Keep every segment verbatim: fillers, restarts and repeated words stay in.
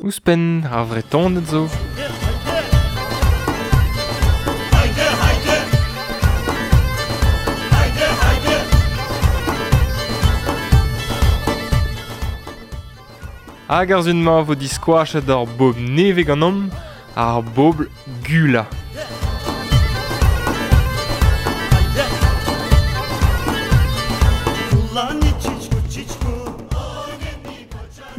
Ouzhpenn ar Vretoned zo. Hag ar zun-mañ vo diskoachet ar bobl nevez ganeomp, ar bobl Gula.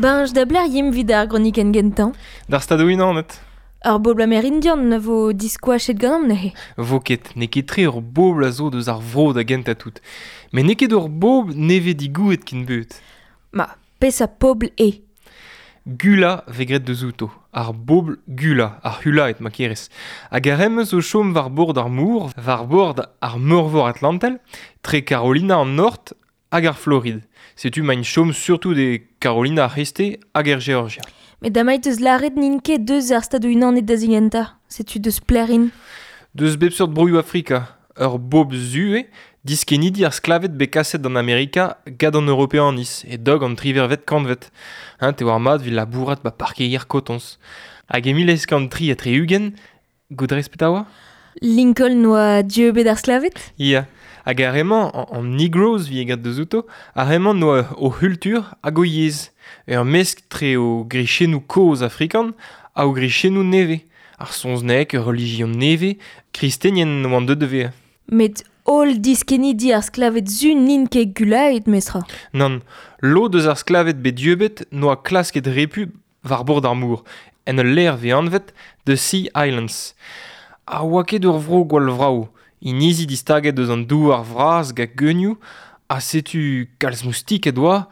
Benj da bler yim vid ar gronikenn gentañ. D'ar Stadoù Unanet. Ar bobl amerindian vo diskoachet ganeomp neuze. Vo ket, n'eo ket tre ur bobl a zo deus ar vro da gentañ tout. Met n'eo ket ur bobl nevez digouet ken beut. Ma, peseurt pobl eo? Gula vez graet deus outo, ar bobl Gula, ar Hulaed ma kerez. Hag ar re-mañ zo chom war bord ar mor, war bord ar meurvor Atlantel, tre Carolina an Nord hag ar Floride. Setu maint chom surtout de Carolina ar C'hreisteiz hag er Georgia. Met damait eus lâret n'int ket deus ar Stadoù Unanet da zigentañ, setu deus plerin. Deus bep seurt broioù Afrika, ur bobl zu eo, diskennidi ar sklaved bet kaset d'an Amerika gant an Europeaniz e dog an triwec'hvet kantved. Hein, te war mat evit labourat ba parkeier kotoñs. Hag e mil eizh kant tri ha tri-ugent, goudrez petra oa? Lincoln oa dieubet ar sklaved? Ya, hag ar re-mañ, an, an Negroes vi graet deus outo, ar re-mañ noa o c'hultur hag o yezh. Ur mesk tre o grichennoù kozh afrikan ha o grichennoù nevez. Ar saozneg, ur relijion nevez, kristenien oant deuet da vezañ. Met holl diskennidi ar sklaved zu n'int ket gulaet, mestra. Nann, lod eus ar sklaved bet dieubet noa klasket repu war bord ar mor, en ul lec'h vez anvet The Sea Islands. Ha oa ket ur vro gwall vrav, inizi distaget eus an douar vras gant geunioù, ha setu kalz moustiket oa,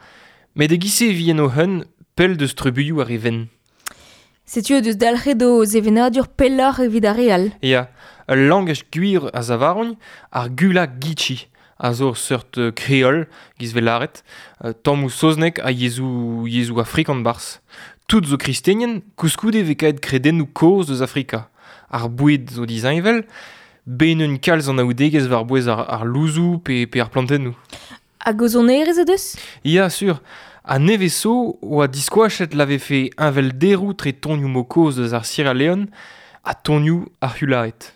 met e-giz-se e vi en o c'heun pell deus trubuilhoù ar re wenn. Setu o deus dalc'het o sevenadur pelloc'h evit ar re all. Ya, ul langaj gwir a zavarogn, ar Gula Gitchi, a zo ur seurt kreol, giz vez lâret, tammoù saozneg ha yezhoù, yezhoù afrikan barzh. Tout zo kristenien, koulskoude vez kaet kredennoù kozh eus Afrika. Ar boued zo disheñvel, ben un kalz anaoudegezh war-bouez ar, ar louzoù pe, pe ar plantennoù. Hag o sonerezh o deus? Ya, sur. Ha nevez zo oa diskoachet la vefe heñvelderoù tre tonioù mo kozh eus ar Sierra Leone ha tonioù ar Hulaed.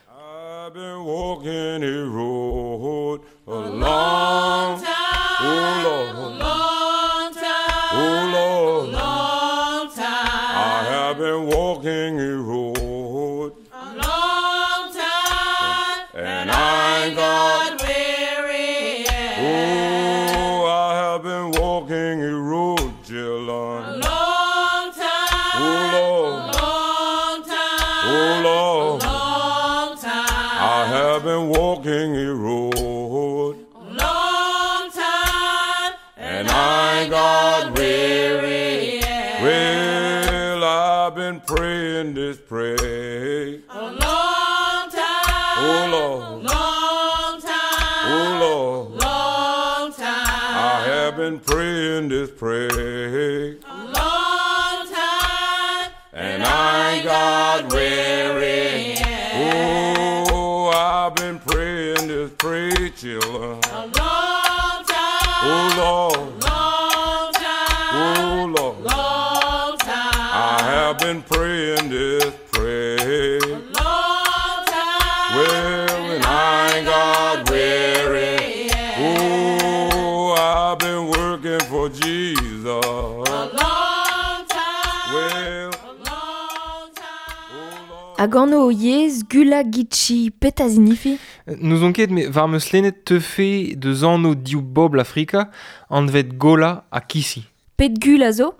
I've been walking a road a long time, oh Lord, a long time, oh Lord, a long time. I have been walking a road a long time, and I ain't got weary yet. Oh, I have been walking a road, Jill, a long time, oh Lord, a long time, oh Lord, a long time. I have been walking a road a long time, and I ain't got weary yet. Well, I've been praying this prayer a long time, oh Lord, a long time, oh Lord, long time. I have been praying this prayer a long time, and I ain't got weary. Oh, I've been praying this prayer, children. A long time, oh Lord, long time, oh Lord, long time. I have been praying this prayer a long time. Well, and I ain't got weary. Oh, I've been working for Jesus a long time, well, a long time. oh Lord. Hag anv o yezh Gula Gitchi, petra zinifi? N'ouzon ket, met war meus lennet teufe deus anv div bobl Afrika, anvet Gola ha Kissi. Pet gul a zo?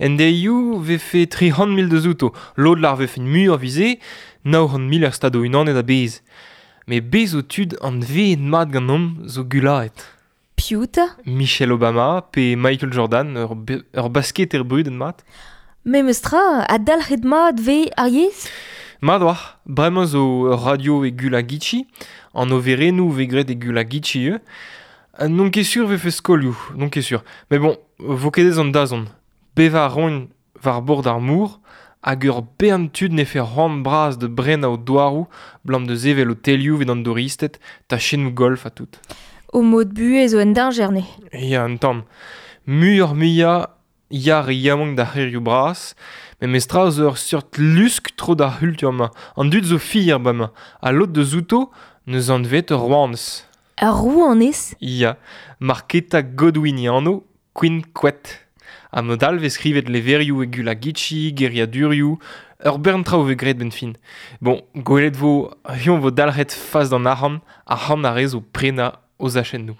En deioù vefe tri c'hant mil deus outo, lod lar vefe muioc'h vize, nav c'hant mil er Stadoù Unanet a-bezh. Met bez zo tud anveet mat ganeomp zo gulaet. Piv 'ta? Michelle Obama pe Michael Jordan, ur, be- ur basketer brudet mat. Memes tra, ha dalc'het mat vez ar yezh? Mat oa, bremañ zo ur radio e Gula Gitchi, an overennoù vez graet e Gula Gitchi eo. N'on ket sur vefe skolioù, n'on ket sur. Mais bon, vo ket ez an dazont. Bevañ a roint war bord ar mor, hag ur bern tud nefe c'hoant bras de brenañ o douaroù, blam de sevel o telioù evit an douristed, tachennoù golf ha tout. O mod buhez zo en dañjer ne. Ya, un tamm. Muioc'h muiañ ya re yaouank d'ar c'hêrioù bras, met mestra zo ur seurt lusk tro d'ar c'hultur-mañ. An dud zo fier bremañ, ha lod deus outo neus anvet ur rouanez. Ur rouanez? Ya, Marketa Godwin e anv, Queen Quet. Ha mod all vez skrivet levrioù e Gullah Geechee, geriadurioù, ur bern traoù vez graet 'benn fin. Bon, gwelet vo, hiziv vo dalc'het fas d'an arc'hant, arc'hant ar re zo prenañ o zachennoù.